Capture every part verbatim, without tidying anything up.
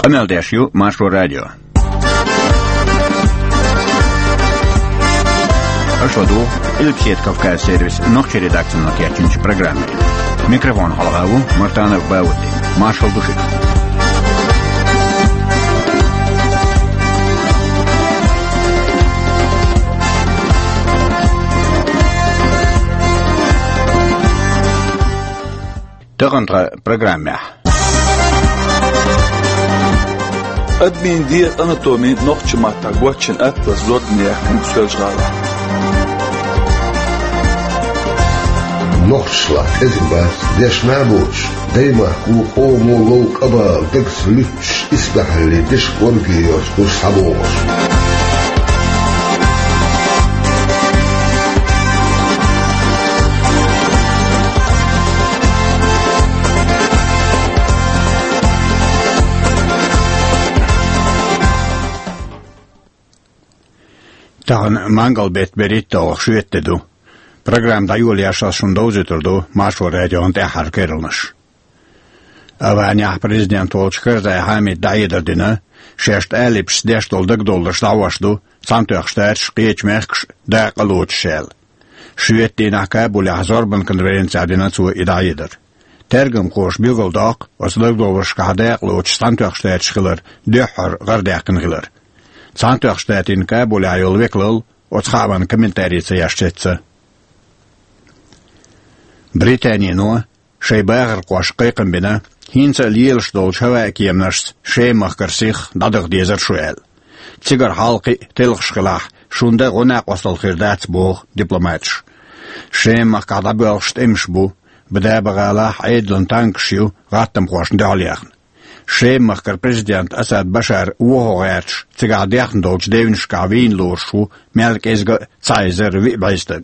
Къамел деш ю Маршо радио. Аша ладугӀу Къилбаседа Кавказ сервисан нохчийн редакцино кечйинчу программе. Микрофона хьалха ву Мартанов Баудди. Маршалла ду шуьга. Тахана тхан программехь. Адамийн дегӀан анатоми нохчийн маттахь гочйина атлас зорбане яьккхина Соьлжа-ГӀалахь. Нохчашлахь кӀезиг бац, дешна а боцуш, даймахко, къомо лов къа бала, дагца луьттуш, исбаьхьаллин дешан кӀорге йоцуш, схьабогӀуш. Тахана мангал-беттан берхӀитталгӀа шоьтан де ду. Программа дӀайолош ас шуна довзуьйтур ду Маршо радион тӀаьххьара керланаш. Аванехь президент волчу Карзай Хьамида дӀахьедар дина, шаьш тӀалибашца деш долу дагадовларш дӀахьош ду Цхьаьнатоьхначу Штаташ, кхечу мехкаша дакъа лоцуш аьлла. Шоьтан дийнахь Кабулехь зорбанан конференцехь дина цо и дӀахьедар. Тергамхоша билгалдоккху, оцу дагадовларшкахь дакъа лоцуш Цхьаьнатоьхначу Штаташ хилар дуьххьара гӀарадаьккхина хилар. Цхьаьнатоьхначу Штатийн Кабулехь йолу векалалла оцу хаамна комментари ца еш цецваьлла. Британино шайн бахархошка кхайкхам бина, хӀинца а лелаш долчу хӀаваан кеманашца Шема-махкара сих дӀадаха дезара шу аьлла. Цигара хьалха кхин а телхаш хилахь, шун дан гӀо-накъосталла хир дац, боху дипломаташа. Шема-махкахь дӀабоьлхуш тӀемаш бу, Бадаба-гӀалахь Ӏедалан танкаш ю гӀаттамхошна дуьхьал яьхна. Шема-махкара президент Асад Башар вохо гӀерташ, цигахь дехна долчу девнашкахь вийна лоруш ву мел кӀезга а цхьа эзар виъ бӀе стаг.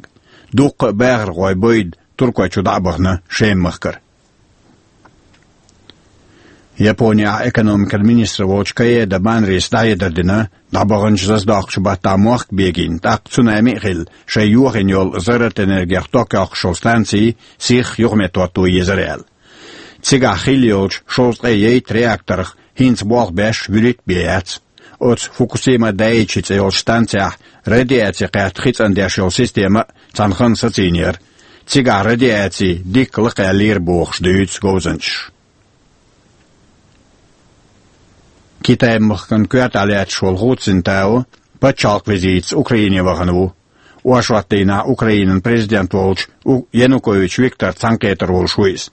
Дуккха а бахархой бойда Туркойчу дӀа а бахана Шема-махкара. Японехь экономикан министр волчу Каэда Банрис дӀахьедар дина, дӀабаханчу зазадоккхучу баттахь мохк бегийна, тӀаккха цунами а хилла, шайн йохийна йолу зарратан энергех ток йоккхуш йолу станций сих юхаметтахӀотто езара аьлла. Цигахь хилла йолчу шовзткъе ейтта реакторах хӀинца болх беш вуьрхӀитта бен яц. Оцу Фукусима Дайчи цӀе йолчу станцехь радиаци кхетта хи цӀандеш йолу система а цхьана ханна сацийнера. Цигахь радиаци дикка лакхаьллера бохуш дуьйцу говзанчаша. Китай-махкан коьртахь лаьтташ волу Ху Цзиньтао пачхьалкх визитца Украине вахана ву. Оршотдийнахь Украинан президент волчу У-, Янукович Виктор цхьаьнакхетар волуш ву иза.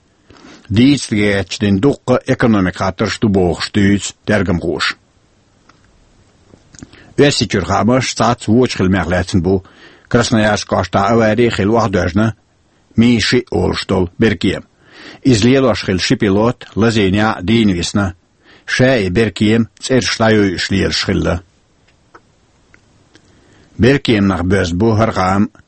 Дийцарг гечдина дуккха а экономикан хаттарш ду бохуш дуьйцу тергамхоша. Оьрсийчуьра хаамаш цхьацца вочу хиламех лаьцна бу. Красноярск кӀоштахь авари а хилла охьадоьжна Ми шиъ олуш долу беркема. Иза лелош хилла ши пилот лазийнехь а дийна висна. Ша и беркема цӀераш дӀайойуш лелаш хилла. Беркеманах боьзна бу хӀара хаам а.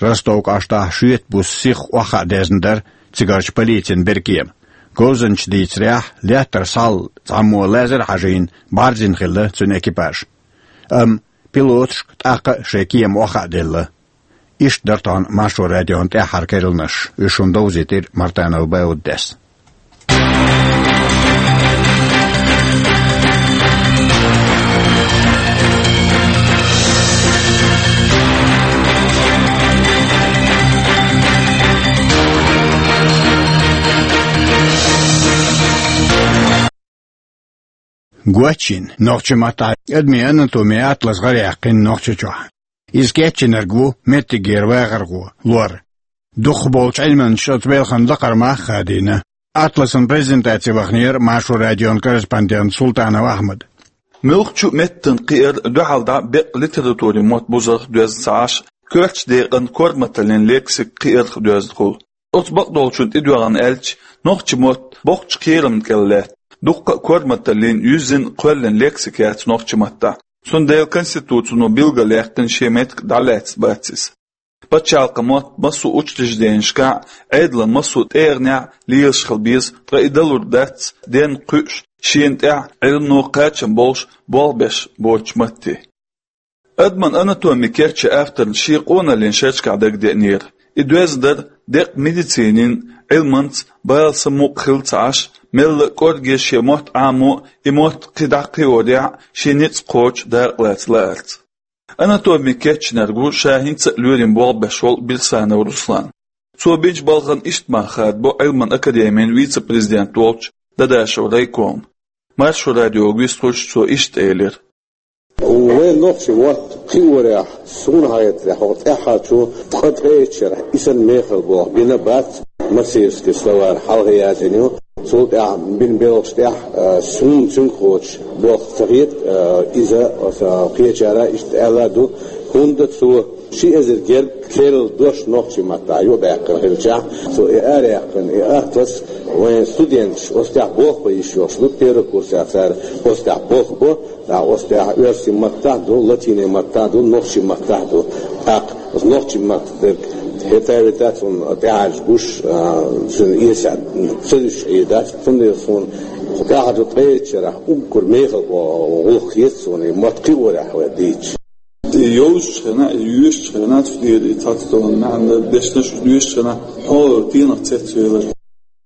Ростов кӀоштахь шоьтан буса сиха охьахаа дезна дара цигарчу полицин беркема. Говзанчаша дийцарехь, лаьттара схьал цхьаммо лазар а хьажийна, бӀарзйина хилла цуьнан экипаж. Амма пилоташка тӀаккха а шайн кема охьахаа делла. Иштта дара тахана Маршо радион тӀаьххьара керланаш. Уьш шуна довзийтира Мартанов Бауддис. Гочйина нохчийн маттахь адамийн анатомин атлас гӀараяьккхина Нохчийчохь. Иза кечйинарг ву меттигера вахархо, лор. Дукхахболчу Ӏилманчаша оцу белхан лакхара мах а хадийна. Атласан презентаци ваханера Маршо радион корреспондент Султанов Ахьмад. Муьлххачу а меттан кхиар дуьхьал дӀа бекъ литературин мотт бузарх доьзна ца Ӏаш, коьртачу декъан корматаллин лексика кхиарх доьзна хуьлу. Оцу бакъдолчун тӀедоьгӀна аьлча, нохчийн мотт боккхачу кхерамна кӀел лаьтта, дуккха а корматаллин, юьззина, кхоьллина лексика яц нохчийн маттахь. Цундела Конституцино билгалъяьккхина шен меттиг дӀалаьцна бац иза. Пачхьалкхан мотт массо а учрежденешкахь а, Ӏедалан массо а тӀегӀанехь а лелаш хила беза, ткъа и далур дац денна кхуьуш, шена тӀехь Ӏилмано кхачам болуш болх беш боцучу матте. Адаман анатоми кечйина авторна шен къоналлин шерашкахь дагадеанера. И доьзна дара декъа медицинин Ӏилманца бала самукъа хилла ца Ӏаш, Мелла а кӀорге шен мотт Ӏамо, и мотт кхы дӀакхиорехь а, шен ницкъ кхочу дакъа лаца лаарца. Анатоми кечйинарг ву ша хӀинца а лоьрийн болх беш волу Бирсанов Руслан. Цо бинчу балхана иштта мах хадабо Ӏилман академин вице-президент волчу Дадашев Райкома. Маршо радиога вистхуьлуш цо иштта элира: Вайн нохчийн мотт кхиорехь, суна хетарехь, хӀокху тӀаьххьарчу ткъе итт шарахь и санна мехала болх бина бац, массовский словарь хьалха яздина ю. Цул тӀаьхьа бина белхаш тӀехь, а, суна цуьнга кхочуш болх ца хета, а, иза, а, кхечара иштта аьлла а ду, хӀунда цо ши эзар гергга керла дош нохчийн маттахь юхабаьккхина хилчахь, цо и араяьккхина, и атлас вайн студенташ оцу тӀехь болх бан йиш йолуш ду, первый курсехь цара оцу тӀехь болх бо, а, оцу тӀехь оьрсийн маттахь ду, латинийн маттахь ду, нохчийн маттахь ду. ТӀаккха оцу нохчийн маттах дерг хӀета а витац, цунна тӀаьхьарчу гуш, а, цуьнан эсехь ца дуьсуш Ӏийдац, цундела суна тӀаьхьарчу ткъе итт шарахь уггар мехала гӀуллакх хета суна, и мотт кхиорехь вай дийцча. И йовзучу хенахь, и йоьшучу хенахь цу тӀера и цхьацца маьӀна дешнаш йоьшучу хенахь хьо стенах цецвелира?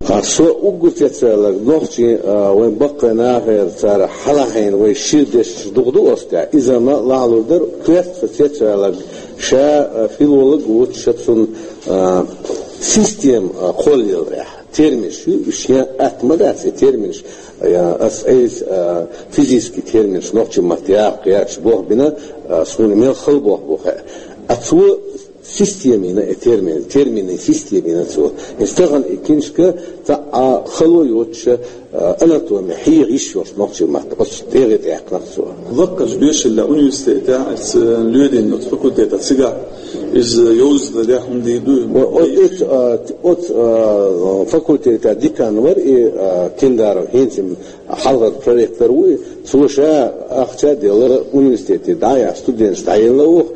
Ткъа со уггар цецваьлларг нохчийн, а, вайн баккхий нахера цара хьалахьийна вай шира дешнаш дукха ду оцу тӀехь. Иза ма лахьалур дара, коьрта со цецваьлларг ша, а, филолог ву, ша цунна, а, система, а, кхоллаяларехь. Терминаш ю, уьш шен атта ма дац и терминаш, а, ас айса, а, физический терминаш нохчийн маттахь яккха яц, болх бина, а, суна мел хала болх бу хаьа. А цо система йина и термин, терминийн система йина цо. И стагана и киншка цхьа а хало йоцуша, а, анатоми хьеха йиш йолуш нохчийн маттахь, оцу тӀегӀи тӀаьккхина цо. Лаккхарчу доьшалла университетехь аса лоьрийн оцу факультетехь цигахь иза йовза ларехь хӀума дийр ду? О-, о-, оцу, а, оцу, а, факультетехь декан вара и, а, Киндаров, хӀинца хьалхара проректор ву и. Цо ша ахча а делла, университете дӀаяхьа студенташ дӀаелла оха.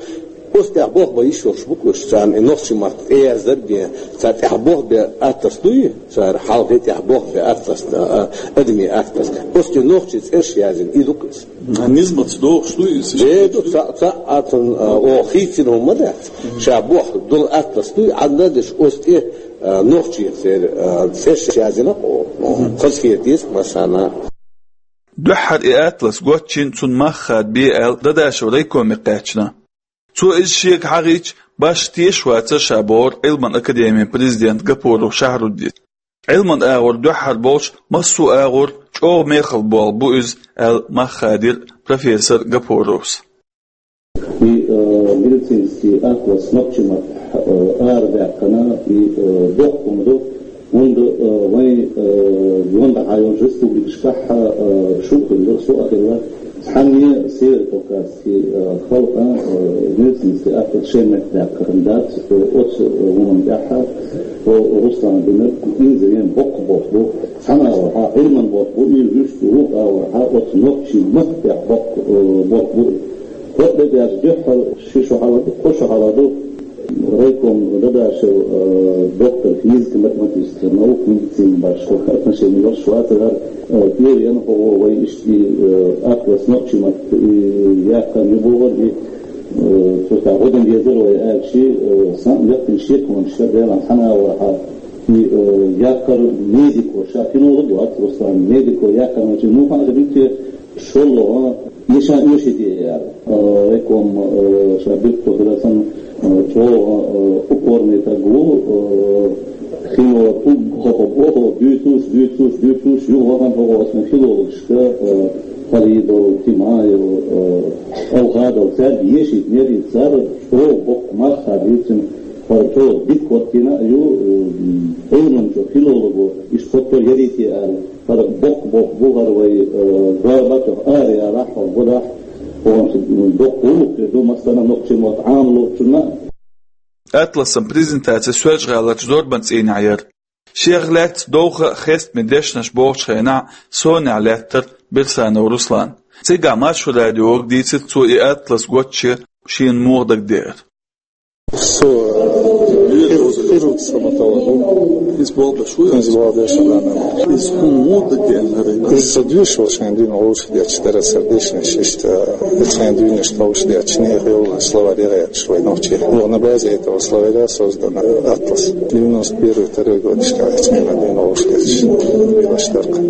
Оцу тӀехь болх бан йиш йолуш бу-кх уьш, царна и нохчийн маттахь тӀеяздар бен, цара тӀехь болх бен атлас дуй, цара хьалхе тӀехь болх бен атлас, а, а, адамийн атлас. Оцу тӀе нохчийн цӀераш яздина, и ду-кх иза. Низамца догӀуш дуй иза? Де ду, цхьа, цхьа а цунна, а, оха хийцина хӀума ма дац. Ша болх долу атлас дуй, Ӏадда деш оцу тӀе, а, нохчийн церан, а, цӀераш яздина-кх оха. Хазахета деза-кх массарна. Дуьххьара и атлас гочйина, цунна мах хадабе аьлла Дадашев Райкоме кхаьчна. Цо иза шега хьахийча, башха тешаш вацара ша, бохура Ӏилман академин президент Гапуров Шахруддин. Ӏилман агӀор дуьххьара болуш массо а агӀор чӀогӀа мехала болх бу иза, аьлла мах хадийра профессор Гапуровс. И, э, медицинский атлас нохчийн маттахь, э, арадаьккхина, и, э, доккха хӀума ду, хӀунда, э, вайн, э, юьхьанца йолчу республикашкахь, э, шу а хилла, со а хилла, цхьанне Северо-Кавказский, э, халкъан, э, медицинский атлас шайн метта даьккхина дац, э, оцу, э, хӀуманна тӀехь, э, Руслана бинарг, иза вен боккха болх бу, цхьана агӀорхьа Ӏилман болх бу, и вуьшта вукху агӀорхьа оцу нохчийн маттахь боккха, э, болх бу. Хьо а дагахь дуьххьара ши шо хьалха ду, кхо шо хьалха ду, райком Дадашев, э, доктор физико-математических наук, медицина башха отношение йолуш вацара, э, тӀера ян хӀокхо вай иштта, э, атлас нохчийн маттахь, э, яккхар ю бохура, и, э, цо тӀаккха гӀо дан дезара вай аьлча, э, сан лаьттина шеконаш ша делахь цхьана агӀорхьа, и, э, яккхар медико, ша филолог вац, Руслан, медико яккхар ма чу, ну, хьан а ду те, шолгӀа, ешан оьший де яра. Э, райком, э, ша биртто дара сан, э, чӀогӀа, э, упорный таг ву, э, хино уггар хӀокхо бохо, дуьйцуш, дуьйцуш, дуьйцуш, юха вахана хӀокхо сан филологашка, э, Халидов, Тимаев, э, Алхадов, цаьрга ешийтинера, цара чӀогӀа боккха мах хадийцина, хӀара чӀогӀа дика хӀоттийна а ю, э, Ӏилманчо, филолого, иштта хӀотто ярийте аьлла. ХӀара боккха болх бу хӀара вай, э, зорбатах, араяла хьо гӀо дахь, хӀокхунца доккха гӀуллакх хир ду массарна а нохчийн мотт Ӏамалучунна а. Атласан презентаци Соьлжа-ГӀаларчу зорбан цӀийнехь яра. Шех лаьцна довха а, хестаме дешнаш бохучу хенахь сонехь лаьттара Бирсанов Руслан. Цигахь Маршо радиога дийцира цо и атлас гочйе шена муха дагадеара. Со, э, Хирург, стоматолог. Из болх беш ву? Из болх беш ву, да, да. Из хӀун ву дагадеанарг? Из со доьшуш волча хана дуьйна вовшах детташ дара са дешнаш, иштта, цхьан дуьйна вовшах детташ, нехан йолаш словарь яхаш вай нохчий. Но на базе этого словаря создан атлас. Девяносто первый, второй годашка вай цхьан дуьйна вовшах детташ, белаш тарка.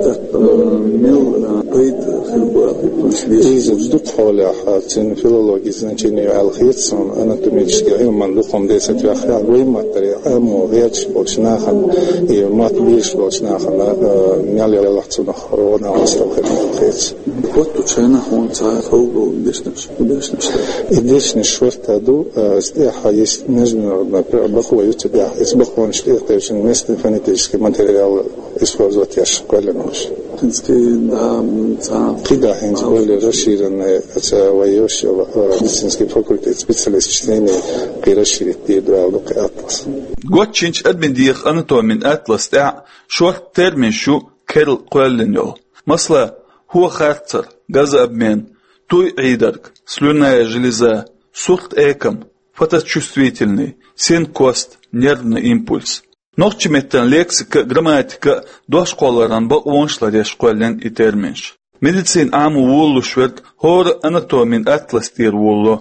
Так, э, мел, э, пайда хир бу аьлча, из дукха хьолехь, а, цун филологи значени аьлла хеташ, анатомически Ӏилман дукха хӀума десад ваьхьа, вай маттаре, амма гӀерташ болча нахана, и мотт безаш болча нахана, э, мел яллалц цунах гӀо-накъостал хир хеташ. Хьо тӀу чайна хьуна цхьа хьалгӀовла дешнаш, дешнаш да. И дешнаш шортта ду, э, из тӀехьа есть международный пр-, бакъо ю цу тӀехьа, из бакъонаш тӀехь тевшин местный фонетический материал использовать еш кхоьллина уж. ХӀинца кхин, да, м, цхьа кхидӀа хӀинца более расширенный, ца вай йош, э, медицинский факультет специалист чтения кхин расширить дийр ду аьлла ду кхин атлас. Гоччинчу адамийн дегӀан анатомин атлас тӀехь шортта терминаш ю керла кхоьллина йолу. Масала, хӀо харцар, газообмен, туй Ӏийдарг, слюнная железа, сурт экам, фоточувствительный, синкост, нервный импульс. Нохчийн меттан лексика а, грамматика а дошкъоларан бакъонаш ларъеш кхоьллина и терминаш. Медицина Ӏамо волалуш верг хӀора анатомин атлас тӀера волало.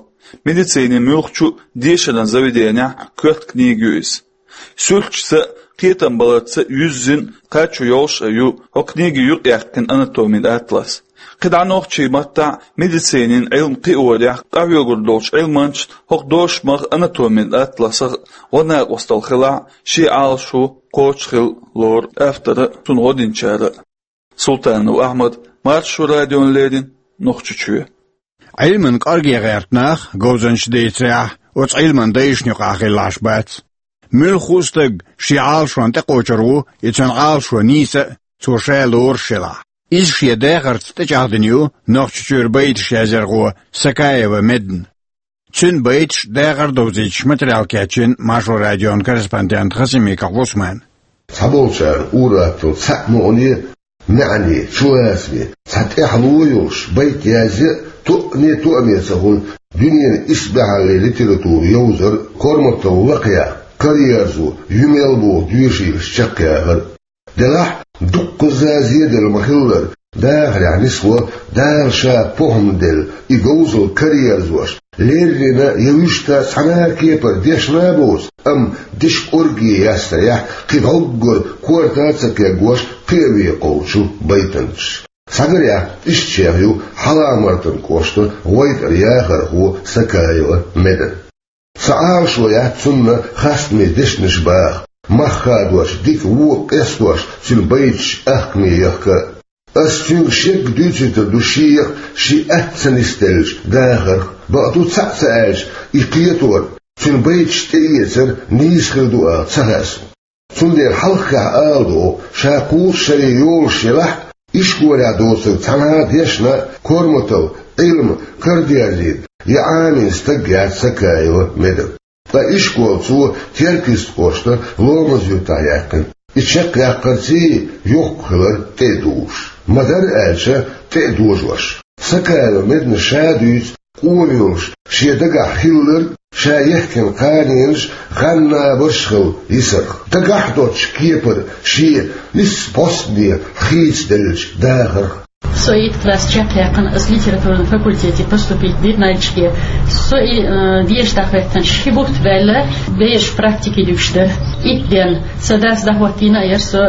Медицинин муьлххачу дешаран заведенехь коьрта книга ю иза. Суьрташца а, кхетам баларца а юьззина кхачо йолуш а ю хӀокху книгин юкъаяьккхина анатомин атлас. КхидӀа нохчийн маттахь медицинин Ӏилма кхиорехь къахьоьгур долчу Ӏилманчашна хӀокху дошамах, анатомин атласах гӀо-накъосталла хилахь, шен Ӏалашо кхочушхила лору автора а, цунна гӀо динчара а. Султанов Ахьмад, Маршо радиона леррина, Нохчийчоь. Ӏилманан кӀорге гӀерта нах, говзанчаш дийцарехь, оцу Ӏилманан дайшна юкъахь хилла Ӏаш бац. Муьлхха а стаг шен Ӏалашонна тӀекхочур ву, и цуьнан Ӏалашо нийса а, цо ша лоруш елахь. Иза шен дахарца тӀечӀагӀдина ю Нохчийчуьра байташ язъярхо Сакаева Медна. Цуьнан байташ, дахар довзуьйтуш материал кечйина Маршо радион корреспондента Хасимиков Усмана. Цхьаболчарна ур-атталла цхьаъ мукъане, маьӀне, чулацаме, цхьа тӀаьхьало йолуш байт язъян а тоъане а тоаме ца хуьлу дуьненан исбаьхьаллин литература йовзар Корматов Лакхаян «Караерзо», «Юмел» боху доьшийлаш чекхъяхар. Делахь, дуккхазза зеделла ма-хиллара, дахарехь нисло, Дала Ша похӀма делла, и говзалла караерзош, леррина я вуьшта цхьана а кепара дешна а боцу, амма дешан кӀорге ястарехь, кхин дӀоггара корта а ца кегош, кхиаве кхочу байтанчаш. Схьагарехь, иштачех ю Хьалха-Мартан кӀоштан гӀойтӀаран яхархо Сакаева Меда. Сан Ӏалашо яц цунна хастаме дешнаш баха, мах хадош, дика вон къестош, цуьнан байташ ахкаме яхка а. Ас цуьнга шега дуьйцуьйтур ду шех, шен атта ца нисделлачу дахарх, бакъду, цхьаъ ца аьлча, и кхетор, цуьнан байташ тӀеэцар нийса хир ду аьлла ца хаьа суна. Цундела хьалххехь ала догӀу, ша кхузткъа шаре йолуш елахь а, ишколехь доцург цхьана а дешна а, Корматов Ӏилма карадерзийна я Ӏамийна стаг яц Сакаева Меда. Ткъа ишкол цо Теркйист кӀоштан Ломаз-Юьртахь яьккхина. И чекхъяккхарций, йоккха хилар тӀе а дужуш. Ма-дарра аьлча, тӀе а дожош. Сакаева Медна ша дуьйцу, къона йолуш, шен дагахь хилларг, ша ехкина кханенаш гӀан-набарш а хилла йисарх. Дагахь а доцчу кепара шен нийсса бӀостанехьа хийцаделлачу дахарх. Со итт класс чекхъяьккхина, ас литературный факультете поступить дина Нальчике. Со и, э, деша дӀахӀоьттинчу ши бутт баьлла, бераш практике дуьгуш дара. Итт ден. Сан дас дӀахӀоттийна а яра со,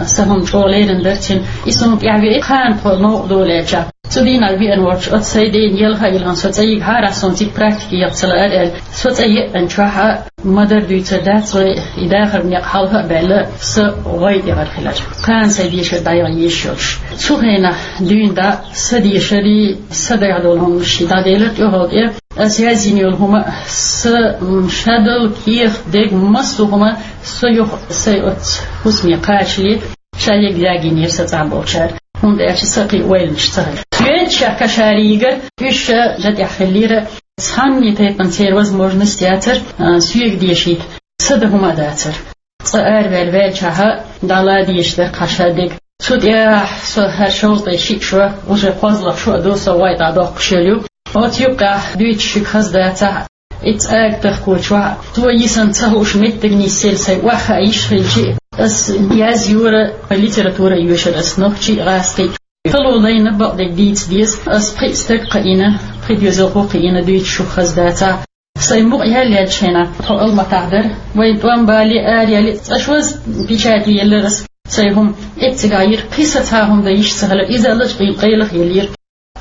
сан хӀума чӀогӀа лерина дара цуьнан. И суна тӀаьхьавеъна кхана тхо новкъа долу аьлча. Цу дийнахь веана волчу оцу сайн ден елха а йилхина, со цӀа йигахьара, суна цига практике яха ца лаара аьлла. Со цӀа еъначохь а ма-дарра дуьйцур дац вай, и дахаран некъ хьалха а баьлла, сан гӀой тӀегӀар хилар. Кхана сайн дешар дӀаяха езаш йолуш. Цу хенахь дуьйна дӀа сан дешарий, сан дагахь долу хӀуманаш дӀаделира тӀехула тӀе. Ас яздина йолу хӀума а, сан, м, шадолу кехат, деган массо а хӀума со юха сайн оццу хӀусаме кхачале, ша егга ягийнера сан цӀахь болчара, хӀунда аьлча сан кхин ойланаш ца хилла. Соьца шех кашара йигира, уьш ша тӀехь хиллера, цхьанне тайпана церан возможность яцара, а, соьга дешийта, сан дан хӀума а дацара. Цкъа араваьлла ваьллачохь а дӀала дезаш дара кхин шадерг. Цу тӀехь со хӀара шовзткъе шиъ шо, уже кхозлагӀа шо а ду, со гӀой тӀе доккхуш йолу. Оцу юккъехь дуьйцуш шуьга хаза дацахь, Итт ага тахкочохь, цо йисина ца хууш меттиг нисъелла сайн охьахаа йиш хилчи, ас язйора, литература а йоьшура ас нохчий а, гӀазкхий а. Хало лайна бакъдерг дийца деза, ас пхи стаг кхиийна, пхи доьзалхо кхиийна, дуьйцуш шух хаза дацахь. Сайн мукъа ял яьлча хьайна, тхо Алматахь дара, вайн тӀом бале а, араяьле а, цкъа шозза печати еллера ас. Сайн хӀума эццигахь йира, кхин сацахьа хӀума дан йиш ца хилар, иза а лачкъийна къайлаха еллера.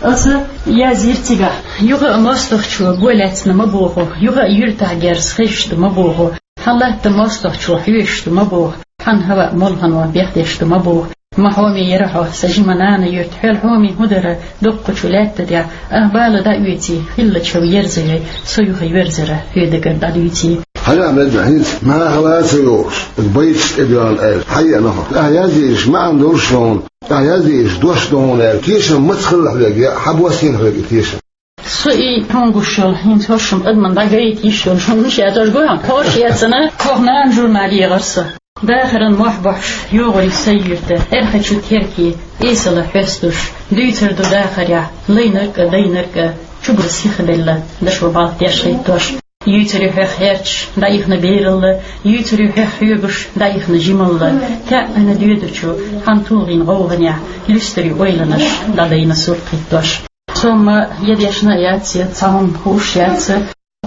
Аса язйира цигахь: юха а мостагӀчо го лаьцна ма боху, юха а юьртахь герз хезаш ду ма боху, хьан латта мостагӀчо хьоьжуш ду ма боху, хьан хӀаваъ молхано бехдеш ду ма боху. Ма хьоме яра хьо, сан жима нана юрт, хьоьл хьоме хӀун дара, дуккхачу лаьтта тӀехь, ах бала дӀаоьций, хилла чов ерзавей, со юха йоьрзара хьоьдагара дӀадуьйций. Хьан а мега хӀинца нахала а ца йогӀуш, байташ тӀедоьгӀна аьлла, хьаеана хьо. Ахьа язъеш маьӀна долуш ду хьуна, ахьа язъеш дош ду хьуна аьлла, тешам маца хилла хьоьга, я хьан бос йина хьоьга и тешам? Со и хьуна гуш йолу, хӀинца хӀорш-м адамна дӀагайта йиш йолуш, хӀума мича яцош гуьйхьа, хӀорш эцна, хӀокху нана журнал егӀара со. Дахаран мохь бохьуш, йогӀур ю сайн юьрта, Эрхачу Терке, эсала хьоьстуш, дуьйцур ду дахарехь, лайнарг а, дайнарг а, чугур сихбелла, дашо балт деш хӀиттош. Юьйцур ю хьоьх хьерчаш, дӀаихна бералла, юьйцур ю хьоьх хьоьгуш, дӀаихна жималла, таьӀна доьдучу хьан тулгӀийн гӀовгӀанехь, луьстур ю ойланаш, дӀадайна сурт хӀиттош. Со-м я дешна а яц, я цхьа хӀума хууш яц,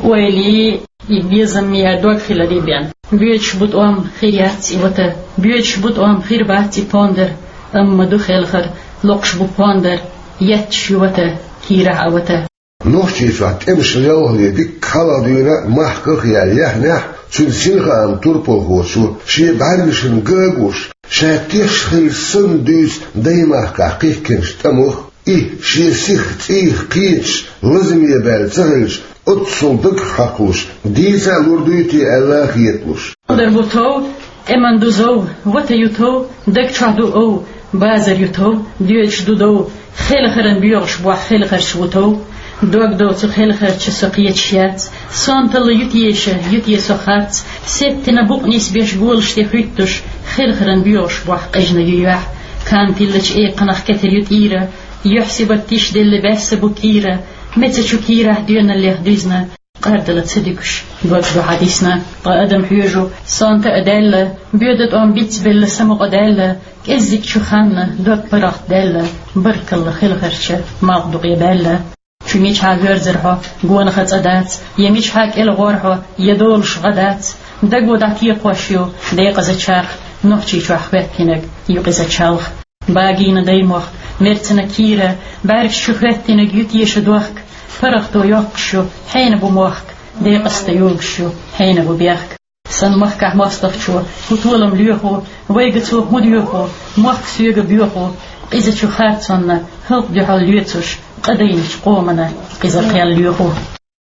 ойла и, и безам я дог хиларе бен. Боьдуш бу тӀом, хир яц и вата, боьдуш бу тӀом, хир бац и пондар, амма ду хелхар, локхуш бу пондар, етташ ю вата, кийрахь а вата. Нохчийчохь тӀемаш лелхале дикка хьалха дуьйна махках а яьлла яьхнехь, цуьнан синхаам турпалхочо шен бӀаьргашна ган а гуш, ша теш хилча санна дуьйцу даймахкахь кхихкинчу тӀамах, и шен сих цӀийх кхеташ, лазаме баьлла ца хилча, оццул дагах хьакхалуш, дийца а лур дуй те аьлла а хеталуш. Дар бу тов, тӀеман ду зов, вата ю тов, даг чохь ду ов, базар ю тов, доьдуш ду дов, хелхаран боьгӀуш бохь хелхарча ву тов. Дог дов цу хелхарча со кхеташ яц, сонталла ю теша, ю те со харц, сеттина букъ нисбеш голаш тӀе хуьттуш, хелхаран боьгӀуш бохь къежна ю юьхь. Кан тиллачу экханах кетар ю тӀийра, юьхь сибат тишделла баьсса бу кийра, меца чу кийрахь доьналлех дуьзна, къардала ца дуьгуш, дог ду хьан дисна. Ткъа адам хьоьжу, сонта а даьлла, боьда тӀом бицбелла, самукъа даьлла, кӀеззиг чу ханна, дог паргӀат даьлла, баркалла хелхарча, малх ду къе баьлла. Чу мичахьа воьрзар хьо, гонаха цӀа дац, я мичахьа кӀел гӀор хьо, я долуш гӀа дац, даго дӀатекхош ю декъаза чарх, Нохчийчохь хӀоьттинарг ю къиза чалх. Багийна даймохк, мерцина кийра, бӀаьргаш чу хӀоьттинарг ю теша дохк, паргӀато йоккхуш ю, хьенан бу мохк, декъаста йогуш ю, хьенан бу бехк. Сан махкахь мостагӀчо, хӀун толам лоьху, вайга цо хӀун доьху, мохк соьга боьху, къиза чу харцонна, хӀалкъ дуьхьал лоьцуш, къа дайначу къомана къиза кхел лоьху.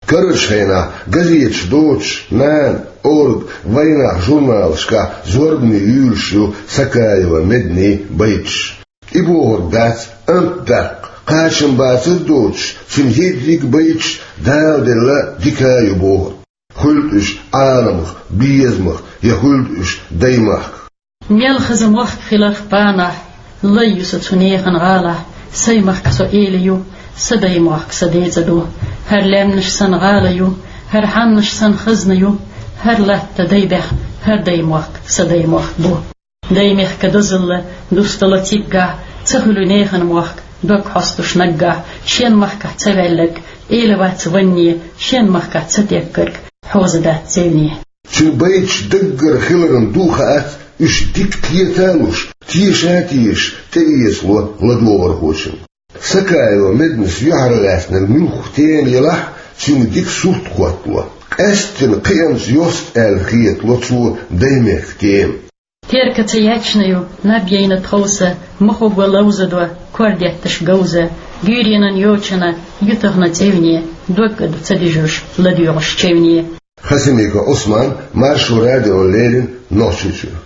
Карарчу хенахь газеташ доцуш, «Нана», «Орга», «Вайнах» журналашкахь зорбане юьйлуш ю Сакаева Меднийн байташ. И бохург дац амт даккха, кхачам бацар доцуш, цуьнан ерриг а байташ Дала делла дика а ю бохург. Хуьлда уьш Ӏаламах, безамах, я хуьлда уьш даймахках. Мел хаза мохк хиларх панахь, лай ю со цу нехан гӀалахь, сайн махка со эла ю, сан даймохк сан децӀа ду. ХӀара лаьмнаш сан гӀала ю, хӀара хьаннаш сан хазна ю, хӀара латта дайбехь, хӀара даймохк сан даймохк бу. Даймехка дозалла дустало циггахь, ца хуьлу нехан мохк, дог хьостуш наггахь, шен махкахь ца ваьлларг, эла вац ванне, шен махкахь ца теггарг, хьоза дац цевне. Цуьнан байташ даггара хиларан ду хаац, уьш дика кхета а луш, теша а тешаш, тӀеэцало ладогӀархочун. Сакаева Меднас юьхьарлаьцнарг муьлхха тема елахь а, цуьнга дика сурт хӀоттало. Къаьсттина кхиамца йост аьлла хетало цо даймехка тема. Терка ца яьчна ю, наб яйна тховса, махо го ловзадо, кор детташ говза, гуьйренан йочана ю тахана цӀевне, дог а ду ца дуьжуш, ладоьгӀуш чевне. Хасимиков Ӏусман, Маршо радиона леррина, Нохчийчуьра.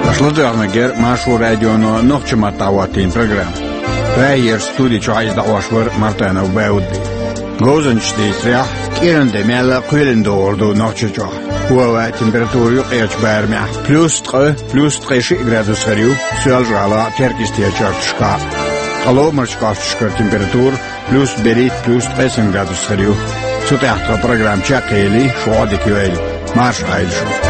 Аша ладоьгӀнарг яра Маршо радионо нохчийн маттахь хӀоттийна программа. Прагера студи чохь иза дӀахьош вара Мартанов Баудди. Говзанчаш дийцарехь, кӀиран де мел а кхоьлина догӀур ду Нохчийчохь. Хьо а ваьа температура юкъерчу барамехь плюс ткъа, плюс ткъе шиъ градус хир ю Соьлжа-ГӀала а, Теркйистера чарташкахь а. Ткъа ломарчу кӀошташкара температура плюс берхӀитта, плюс ткъе сан градус хир ю. Цу тӀехь тхан программа чекхъели, шу Ӏодика йойла. Марша Ӏайла шу.